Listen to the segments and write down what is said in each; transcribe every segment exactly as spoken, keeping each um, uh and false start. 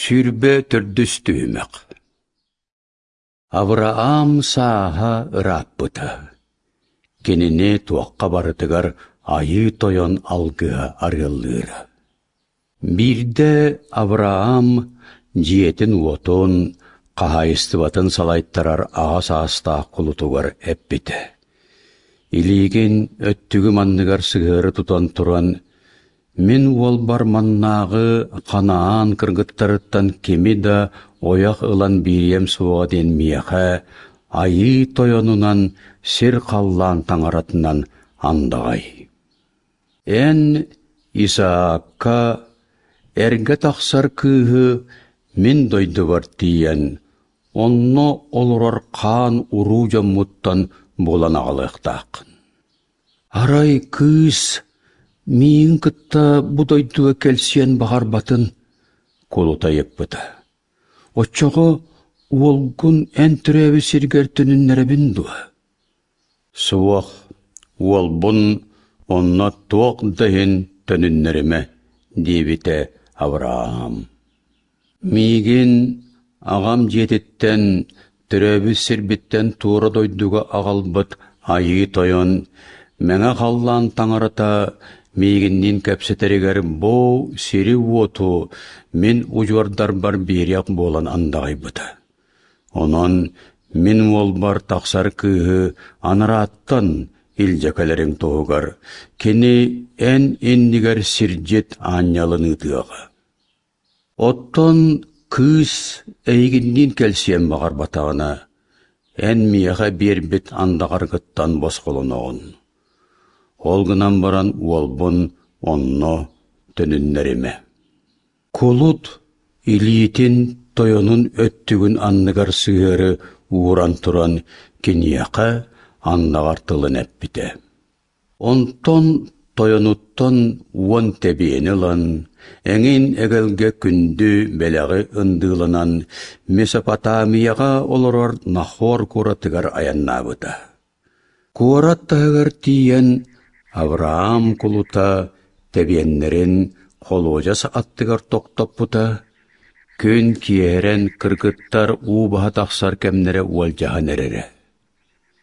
Сүүрбэ төрдүс түһүмэх. Авраам сааһа ырааппыта. Кинини туохха барытыгар Айыы Тойон алгыһа арыаллыыра. Биирдэ Авраам дьиэтин-уотун, хаһаайыстыбатын салайтарар аҕа саастаах кулутугар эппитэ: «Илиигин өттүгүм анныгар сыһыары тутан туран, мин уолбар маннааҕы Ханаан кыргыттарыттан кими да ойох ылан биэриэм суоҕа диэн миэхэ Айыы Тойонунан сир-халлаан таҥаратынан андаҕай. Эн Исаакка эргэ тахсар кыыһы мин дойдубар тиийэн, онно олорор хаан уруу дьоммуттан булан аҕалыахтааххын. Арай кыыс миигин кытта бу дойдуга кэлсиэн баҕарбатын кулута ыйыппыта. Оччоҕо уолгун эн төрөөбүт сиргэр төнүннэрэбин дуо? Суох, уолбун онно туох да иһин төнүннэримэ, диэбитэ Авраам. Миигин аҕам дьиэтиттэн, төрөөбүт сирбиттэн туора дойдуга аҕалбыт Айыы Тойон, Мэҥэ Халлаан Таҥарата миигинниин кэпсэтэригэр бу сири-уоту мин удьуордарбар биэриэх буолан андаҕайбыта. Онон мин уолбар тахсар кыыһы анарааттан илдьэ кэлэриҥ туһугар кини эн иннигэр сирдьит аанньалын ыытыаҕа. Оттон кыыс эйигинниин кэлсиэн баҕарбатаҕына, эн миэхэ биэрбит андаҕаргыттан босхолоноҕун. Ол гынан баран уолбун онно төнүннэримэ. Кулут илиитин тойонун өттүгүн анныгар сыһыары ууран туран киниэхэ андаҕар тылын эппитэ. Онтон тойонуттан уон тэбиэни ылан, эҥин эгэлгэ күндү бэлэҕи ындыыланан Месопотамияҕа олорор Нахор куоратыгар айаннаабыта. Куорат таһыгар тиийэн Авраам кулута тэбиэннэрин холуодьас аттыгар тохтоппута, күн киэһэрэн кыргыттар уу баһа тахсар кэмнэрэ уолдьаһан эрэрэ.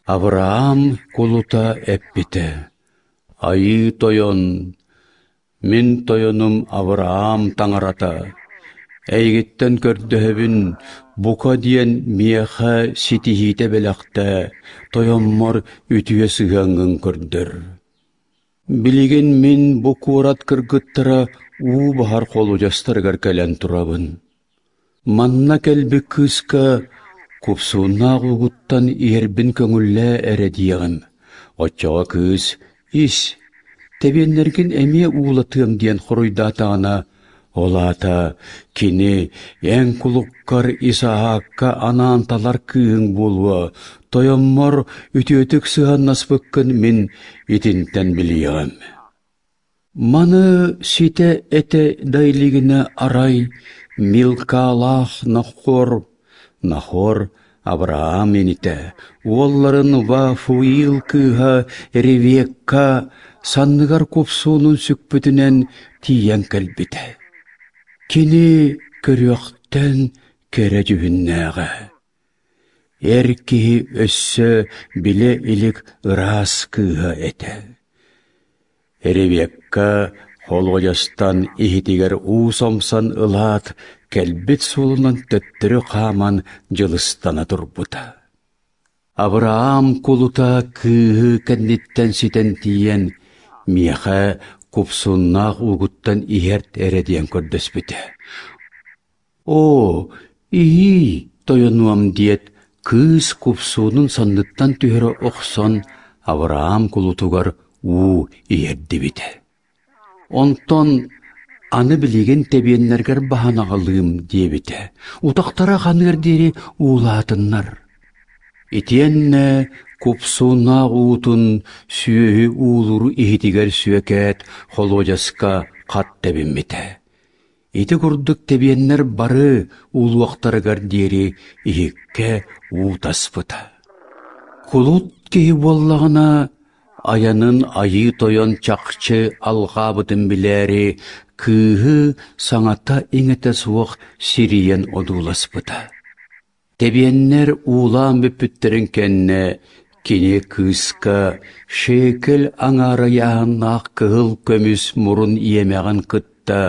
Авраам кулута эппитэ: «Айыы Тойон, мин тойонум Авраам Таҥарата, эйигиттэн көрдөһөбүн, бука диэн миэхэ ситиһиитэ бэлэхтээ, тойоммор үтүө сыһыаҥҥын көрдөр. Билигин мин бу куорат кыргыттара уу баһар холуодьастарыгар кэлэн турабын. Манна кэлбит кыыска купсууннаах уугуттан иһэрбин көҥүллээ эрэ диэҕим. Оччоҕо кыыс ис, тэбиэннэргин эмиэ уулатыам диэн хоруйдаатаҕына, ол аата кини эн кулуккар Исаакка анаан талар кыыһыҥ буолуо, тойоммор үтүөтүк сыһыаннаспыккын мин итинтэн билиэҕим. Маны ситэ этэ да илигинэ арай Милкалаах Нахор, Нахор Авраам инитэ, уолларын Вафуил кыыһа Ревекка санныгар купсуунун сүкпүтүнэн тиийэн кэлбитэ. Кини көрүөхтэн кэрэ дьүһүннээҕэ. Эр киһи өссө билэ илик ыраас кыыһа этэ. Ревекка холуодьастан иһитигэр уу сомсон ылаат, кэлбит суолунан төттөрү хааман дьылыстана турбута. Авраам кулута кыыһы кэнниттэн ситэн тиийэн, миэхэ купсуннаах уугуттан иһэрт эрэ диэн көрдөспүтэ. Оо, иһиий, тойонуом диэт, кыыс купсуунун санныттан түһэрэ охсон, Авраам кулутугар уу иһэрдибитэ. Онтон аны билигин тэбиэннэргэр баһан аҕалыым диэбитэ, утахтара ханыар диэри уулаатыннар. Итиэннэ купсууннаах уутун сүөһү уулуур иһитигэр сүөкээт холуодьаска хат тэбиммитэ. Ити курдук тэбиэннэр бары уулуохтарыгар диэри иһиккэ уу таспыта. Кулут киһи буоллаҕына, айанын Айыы Тойон чахчы алҕаабытын билээри, кыыһы саҥата-иҥэтэ суох сирийэн одууласпыта. Тэбиэннэр уулаан бүппүттэрин кэннэ кини кыыска шекель аҥаара ыйааһыннаах кыһыл көмүс мурун иэмэҕин кытта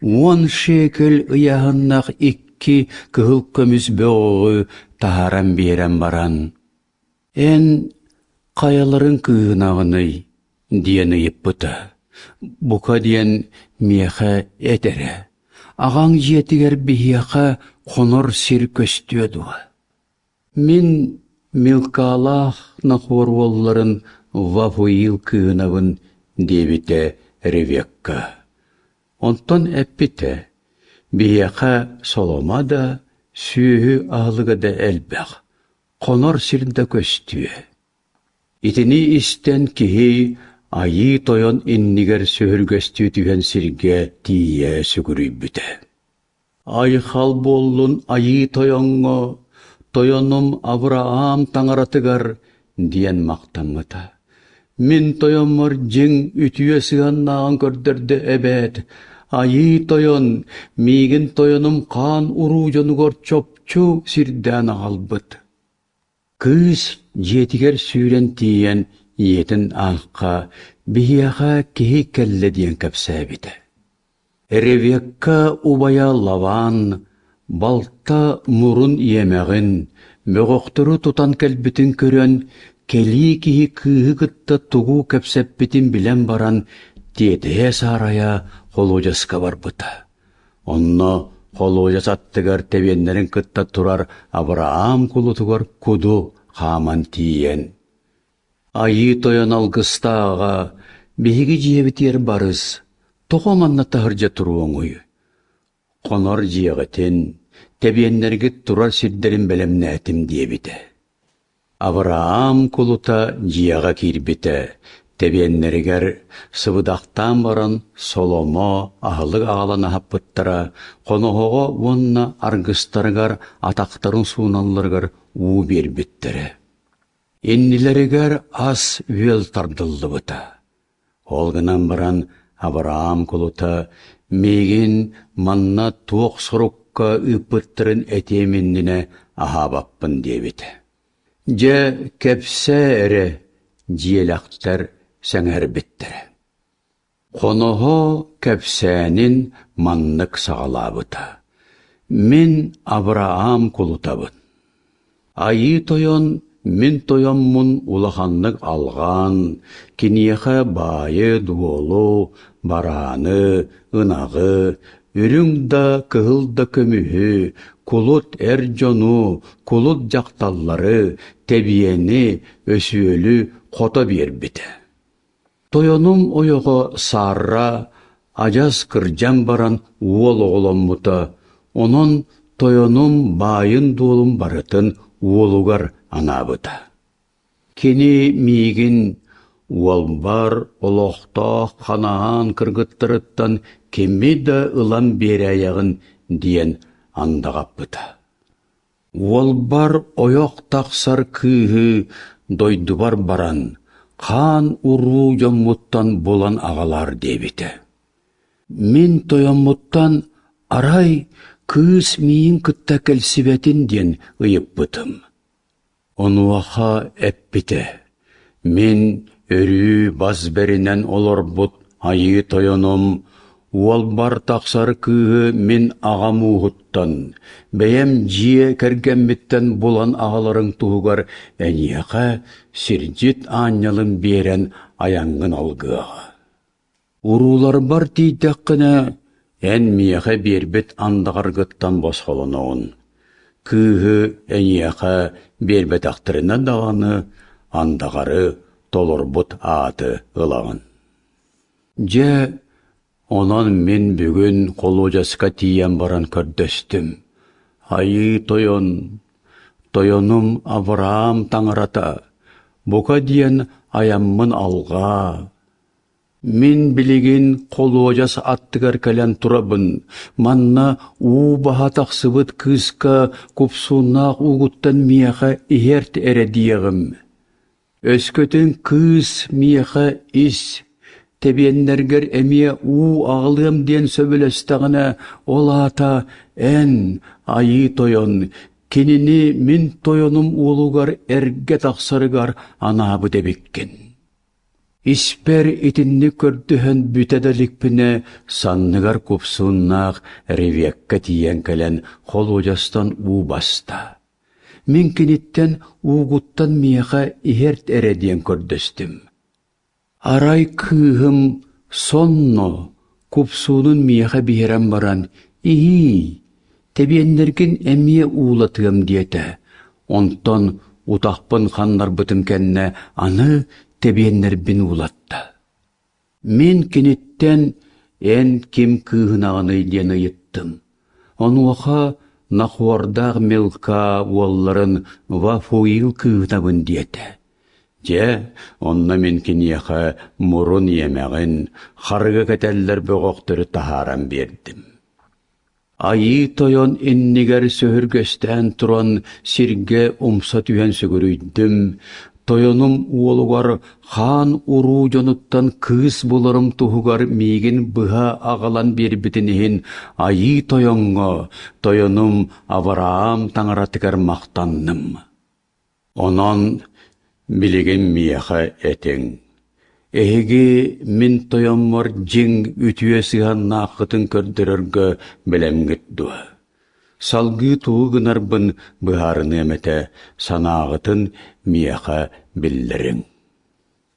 уон шекель ыйааһыннаах икки кыһыл көмүс бөҕөҕү таһааран биэрэн баран, «Эн хайаларын кыыһынаҕыный?» диэн ыйыппыта. Бука диэн миэхэ эт эрэ, аҕаҥ дьиэтигэр биһиэхэ хонор сир көстүө дуо? Мин Милкалаах Нахор уолларын Вафуил кыыһынабын диэбитэ Ревекка. Онтон эппитэ: «Биһиэхэ соломо да, сүөһү аһылыга да элбэх, хонор сир да көстүө». Итини истэн киһи Айыы Тойон иннигэр сөһүргэстүү түһэн сиргэ тиийэ сүгүрүйбүтэ. Айхал буоллун Айыы Тойоҥҥо, тойонум Авраам таҥаратыгар диэн махтаммыта. Мин тойоммор дьиҥ үтүө сыһыаннааҕын көрдөрдө эбээт, Айыы Тойон миигин тойонум хаан уруу дьонугар чопчу сирдээн аҕалбыт. Кыыс дьиэтигэр сүүрэн тиийэн ийэтин аахха биһиэхэ киһи кэллэ диэн кэпсээбитэ. Ревекка убайа Лаван балта мурун иэмэҕин, бөҕөхтөрү тутан кэлбитин көрөн, кэлии киһи кыыһы кытта тугу кэпсэппитин билэн баран, тиэтэйэ-саарайа холуодьаска барбыта. Онно холуодьас аттыгар тэбиэннэрин кытта турар Авраам кулутугар куду хааман тиийэн, «Айыы Тойон алгыстааҕа, биһиги дьиэбитигэр барыс, тоҕо манна таһырдьа туруоҥуй? Хонор дьиэҕитин, тэбиэннэргит турар сирдэрин бэлэмнээтим» диэбитэ. Авраам кулута дьиэҕэ киирбитэ, тэбиэннэригэр сыбыдахтаан баран соломо аһылык аҕалан аһаппыттара, хоноһоҕо уонна аргыстарыгар атахтарын сууналларыгар уу биэрбиттэрэ. Иннилэригэр ас-үөл тардыллыбыта. Ол гынан баран Авраам кулута миигин манна туох сорукка ыыппыттарын этиэм иннинэ аһаабаппын диэбитэ. Дьэ, кэпсээ эрэ, дьиэлэхтэр сэҥээрбиттэрэ. Хоноһо кэпсээнин маннык саҕалаабыта: «Мин Авраам кулутабын. Айыы Тойон мин тойоммун улаханнык алҕаан, киниэхэ баайы-дуолу, барааны, ынаҕы, үрүҥ да, кыһыл да көмүһү, кулут эр дьону, кулут дьахталлары, тэбиэни, өсүөлү хото биэрбитэ. Тойонум ойоҕо Сарра адьас кырдьан баран уол оҕоломмута, онон тойонум баайын-дуолун барытын уолугар анаабыта. Кини миигин уолбар олохтоох Ханаан кыргыттарыттан кими да ылан биэрээйэҕин диэн андаҕаппыта. Уолбар ойох тахсар кыыһы дойдубар баран, хаан уруу дьоммуттан булан аҕалаар диэбитэ. Мин тойоммуттан арай кыыс миигин кытта кэлсибэтин диэн ыйыппытым. Онуоха эппитэ: «Мин өрүү бас бэринэн олорбут Айыы Тойонум уолбар тахсар кыыһы мин аҕам ууһуттан, бэйэм дьиэ кэргэммиттэн булан аҕаларыҥ туһугар эйиэхэ сирдьит аанньалын биэрэн айаҥҥын алгыаҕа. Урууларбар тиийдэххинэ, эн миэхэ биэрбит андаҕаргыттан босхолоноҕун. Кыыһы эйиэхэ биэрбэтэхтэринэ даҕаны андаҕары толорбут ааты ылаҕын». Дьэ, онон мин бүгүн холуодьаска тиийэн баран көрдөстүм: «Айыы Тойон, тойонум Авраам таҥарата, бука диэн айаммын алҕаа. Мин билигин холуодьас аттыгар кэлэн турабын, манна уу баһа тахсыбыт кыыска купсууннаах уугуттан миэхэ иһэрт эрэ диэҕим. Өскөтүн кыыс миэхэ ис, Тэбиэннэргэр эмиэ уу аҕалыам диэн сөбүлэстэҕинэ, ол аата эн, Айыы Тойон, кинини мин тойонум уолугар эргэ тахсарыгар анаабыт эбиккин. Испэр итинник көрдөһөн бүтэ да иликпинэ, санныгар купсууннаах Ревекка тиийэн кэлэн холуодьастан уу баста. Мин киниттэн уугуттан миэхэ иһэрт эрэ диэн көрдөстүм. Арай кыыһым сонно купсуунун миэхэ биэрэн баран, «Иһиий, тэбиэннэргин эмиэ уулатыам» диэтэ. Онтон утахпын ханнарбытым кэннэ аны тэбиэннэрбин уулатта. Мин киниттэн «Эн ким кыыһынаҕыный?» диэн ыйыттым. Онуоха Нахуордаах Милка уолларын Вафуил кыыһынабын диэтэ. Дьэ, онно мин киниэхэ мурун иэмэҕин, харыга кэтэллэр бөҕөхтөрү таһааран биэрдим. Айыы Тойон иннигэр сөһүргэстээн туран сиргэ умса түһэн сүгүрүйдүм, тойонум уолугар хаан уруу дьонуттан кыыс буларым туһугар миигин быһа аҕалан биэрбитин иһин Айыы Тойоҥҥо, тойонум Авраам таҥаратыгар махтанным. Онон билигин миэхэ этиҥ: эһиги мин тойоммор дьиҥ үтүө сыһыаннааххытын көрдөрөргө бэлэмҥит дуо? Салгыы тугу гынарбын быһаарыныам этэ, санааҕытын миэхэ биллэриҥ.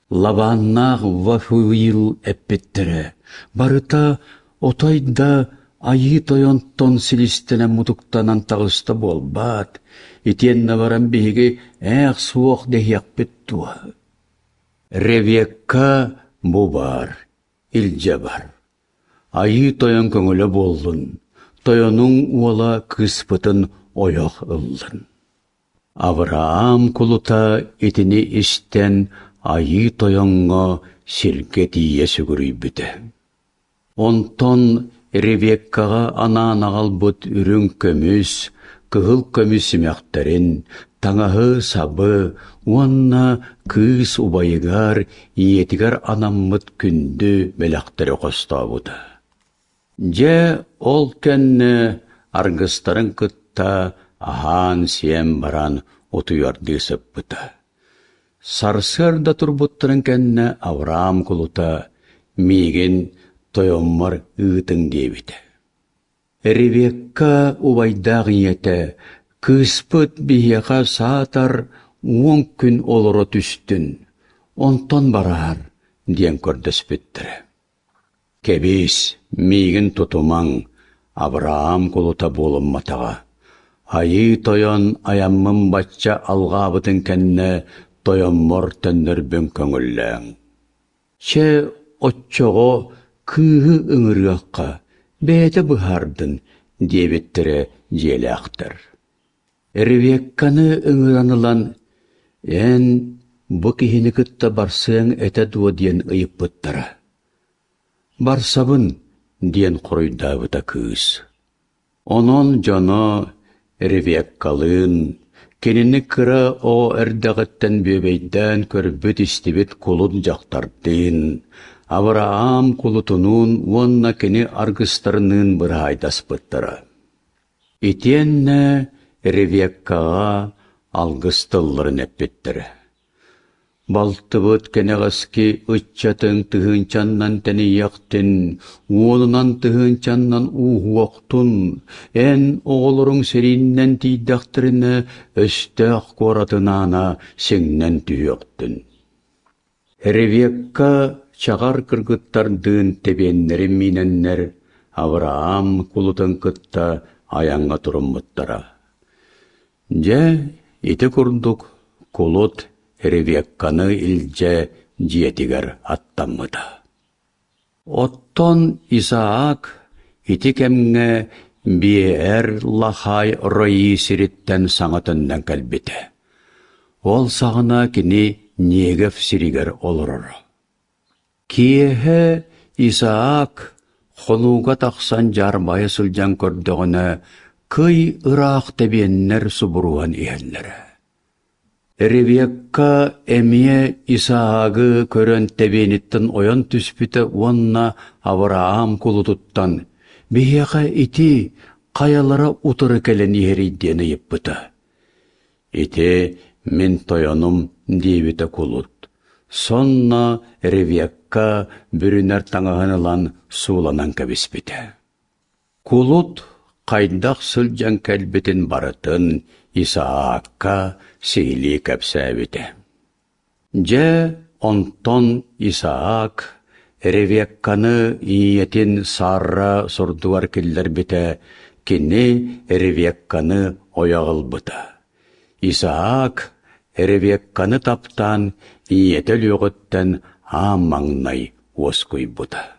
Лабааннаах Вафуил эппиттэрэ, барыта отой да Айыы Тойонтон силистэнэн-мутуктанан таҕыста буолбаат, итиэннэ баран биһиги ээх суох дэһиэхпит дуо? Ревекка бу баар, илдьэ бар. Айыы Тойон көҥүлэ буоллун, тойонуҥ уола кыыспытын ойох ыллын. Авраам кулута итини истэн Айыы Тойоҥҥо сиргэ тиийэ сүгүрүйбүтэ. Онтон Ревеккаҕа анаан аҕалбыт үрүҥ көмүс, кыһыл көмүс симэхтэрин, таҥаһы-сабы уонна кыыс убайыгар, ийэтигэр анаммыт күндү бэлэхтэри хостообута. Дьэ, ол кэннэ аргыстарын кытта аһаан-сиэн баран утуйардыы сыппыта. Сарсыарда турбуттарын кэннэ Авраам кулута «Миигин тойоммор ыытыҥ» диэбитэ. Ревекка убайдаах ийэтэ «Кыыспыт биһиэхэ саатар уон күн олоро түстүн, онтон бараар» диэн көрдөспүттэрэ. Кэбиис, миигин тутумаҥ, Авраам кулута буолумматаҕа. Айыы Тойон айаммын бачча алҕаабытын кэннэ тойоммор төннөрбүн көҥүллээҥ. Чэ, оччоҕо кыыһы ыҥырыахха, бэйэтэ быһаардын, диэбиттэрэ дьиэлээхтэр. Ревекканы ыҥыран ылан, эн бу киһини кытта барсыаҥ этэ дуо диэн ыйыппыттара. «Барсабын», диэн хоруйдаабыта кыыс. Онон дьоно Ревеккалыын, кинини кыра оҕо эрдэҕиттэн бүөбэйдээн көрбүт-истибит кулун дьахтардыын, Авраам кулутунуун уонна кини аргыстарыныын быраһаайдаспыттара. Итиэннэ Ревеккаҕа алгыс тылларын эппиттэрэ. Балтыбыт кэнэҕэски ыччатыҥ тыһыынчаннан тэнийиэхтин, уонунан тыһыынчаннан ууһуохтун, эн оҕолоруҥ сэрииннэн тиийдэхтэринэ өстөөх куоратын аана сиҥнэн түһүөхтүн. Ревекка чаҕар кыргыттардыын тэбиэннэрин миинэннэр Авраам кулутун кытта айаҥҥа туруммуттара. Дьэ, ити курдук кулут Ревекканы илдьэ дьиэтигэр аттаммыта. Оттон Исаак ити кэмҥэ Биэр-Лахай Рои сириттэн саҥа төннөн кэлбитэ. Ол саҕана кини Негев сиригэр олороро. Киэһэ Исаак хонууга тахсан дьаарбайа сылдьан көрдөҕүнэ, кый ыраах тэбиэннэр субуруһан иһэллэрэ. Ревекка эмиэ Исаагы көрөн тэбиэниттэн ойон түспүтэ уонна Авраам кулутуттан «Биһиэхэ ити хайалара утары кэлэн иһэрий» диэн ыйыппыта. «Ити мин тойонум» диэбитэ кулут. Сонно Ревекка бүрүнэр таҥаһын ылан сууланан кэбиспитэ. Кулут хайдах сылдьан кэлбитин барытын Исаакка сиһилии кэпсээбитэ. Дьэ, онтон Исаак Ревекканы ийэтин Сарра сурдугар киллэрбитэ, кини Ревекканы ойох ылбыта. Исаак Ревекканы таптаан ийэтэ өлүөҕүттэн аан маҥнай уоскуйбута.